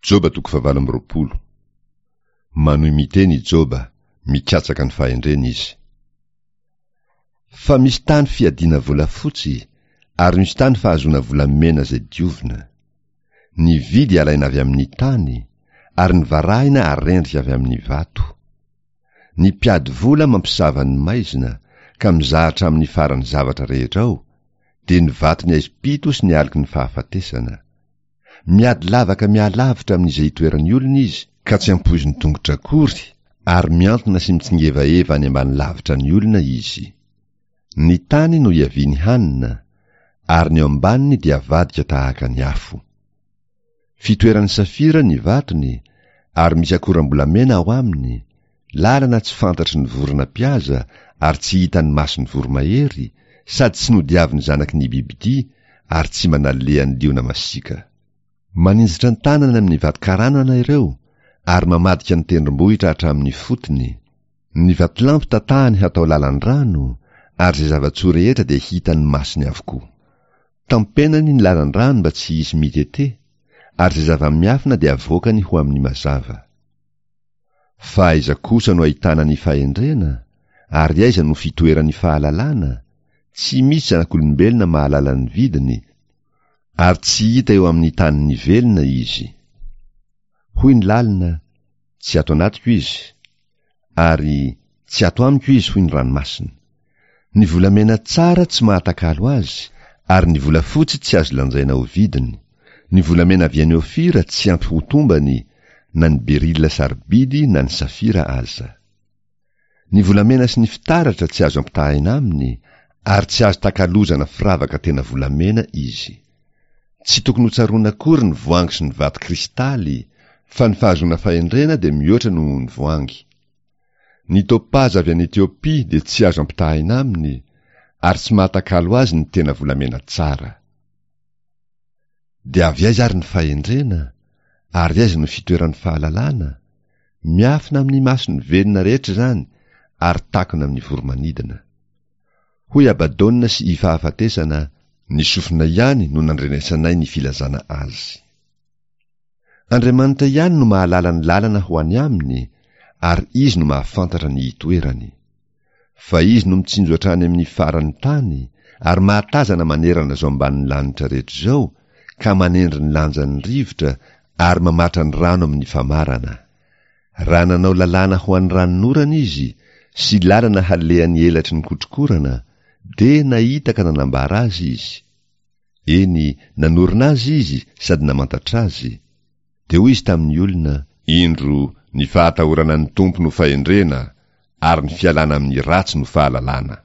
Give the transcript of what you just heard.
Joba toko fahavalo amby 20. Manohy miteny i Joba, mikatsaka ny fahendrena izy. Fa misy tany fiadiana volafotsy, ary misy tany fahazoana volamena izay diovina. Ny vy dia alaina avy amin'ny tany, ary ny varahina arendrika avy amin'ny vato. Ny mpiady vola mampisava ny maizina, ka mizaha hatramin'ny faran'ny zavatra rehetra ao, dia ny vaton'ny aizim-pito sy ny aloky ny fahafatesana. Miady lavaka mihalavitra amin'izay itoeran'ny olona izy, ka tsy ampoizin'ny tongotra akory, ary mihantona sy mitsingevaheva any ambany lavitra ny olona izy. Ny tany no iaviany hanina, ary ny ao ambaniny dia avadika tahaka ny afo. Fitoeran'ny safira ny vatony, ary misy akoram-bolamena ao aminy, lalana tsy fantatry ny vorona mpihaza ary tsy hitan'ny mason'ny voromahery, sady tsy nodiavin'ny zanaky ny bibidia ary tsy mba nalehan'ny liona masiaka. Maninjitra ny tanany amin'ny vatokaranana ireo ary mamadika ny tendrombohitra hatramin'ny fotony. Ny vatolampy tatahany hatao lalan-drano ary izay zava-tsoa rehetra dia hitan'ny masony avokoa. Tampenany ny lalan-drano mba tsy hisy mitete, ary izay zava-miafina dia avoakany ho amin'ny mazava. Fa aiza kosa no ahitana ny fahendrena? Ary aiza no fitoeran'ny fahalalana? Tsy misy zanak'olombelona mahalala ny vidiny, ary tsy hita eo amin'ny tanin'ny velona izy. Hoy ny lalina, Tsy ato anatiko izy. Ary, Tsy ato amiko izy, hoy ny ranomasina. Ny volamena tsara tsy mahatakalo azy, ary ny volafotsy tsy azo lanjaina ho vidiny. Ny volamena avy any Ofira tsy ampy ho tombany, na ny berila sarobidy na ny safira aza. Ny volamena sy ny fitaratra tsy azo ampitahaina aminy, ary tsy azo takalozana firavaka tena volamena izy. Tsy tokony hotsaroana akory ny voangy sy ny vato kristaly, fa ny fahazoana fahendrena dia mihoatra noho ny voangy. Ny topaza avy any Etiopia dia tsy azo ampitahaina aminy, ary tsy mahatakalo azy ny tena volamena tsara. Dia avy aiza ary ny fahendrena? Ary aiza no fitoeran'ny fahalalana? Miafina amin'ny mason'ny velona rehetra izany ary takona amin'ny voro-manidina. Hoy Abadona sy i Fahafatesana, Ny sofina ihany no nandrenesanay ny filazana azy. Andriamanitra ihany no mahalala ny lalana ho any aminy ary Izy no mahafantatra ny itoerany. Fa Izy no mitsinjo hatrany amin'ny faran'ny tany ary mahatazana manerana izao ambanin'ny lanitra rehetra izao ka manendry ny lanjan'ny rivotra ary mamatra ny rano amin'ny famarana. Raha nanao lalàna ho an'ny ranonorana Izy sy lalana halehan'ny elatry ny kotrokorana, dia nahita ka nanambara azy Izy. Eny, nanorina azy Izy sady namantatra azy. Dia hoy Izy tamin'ny olona, Indro, ny fahatahorana ny Tompo no fahendrena, ary ny fialana amin'ny ratsy no fahalalana.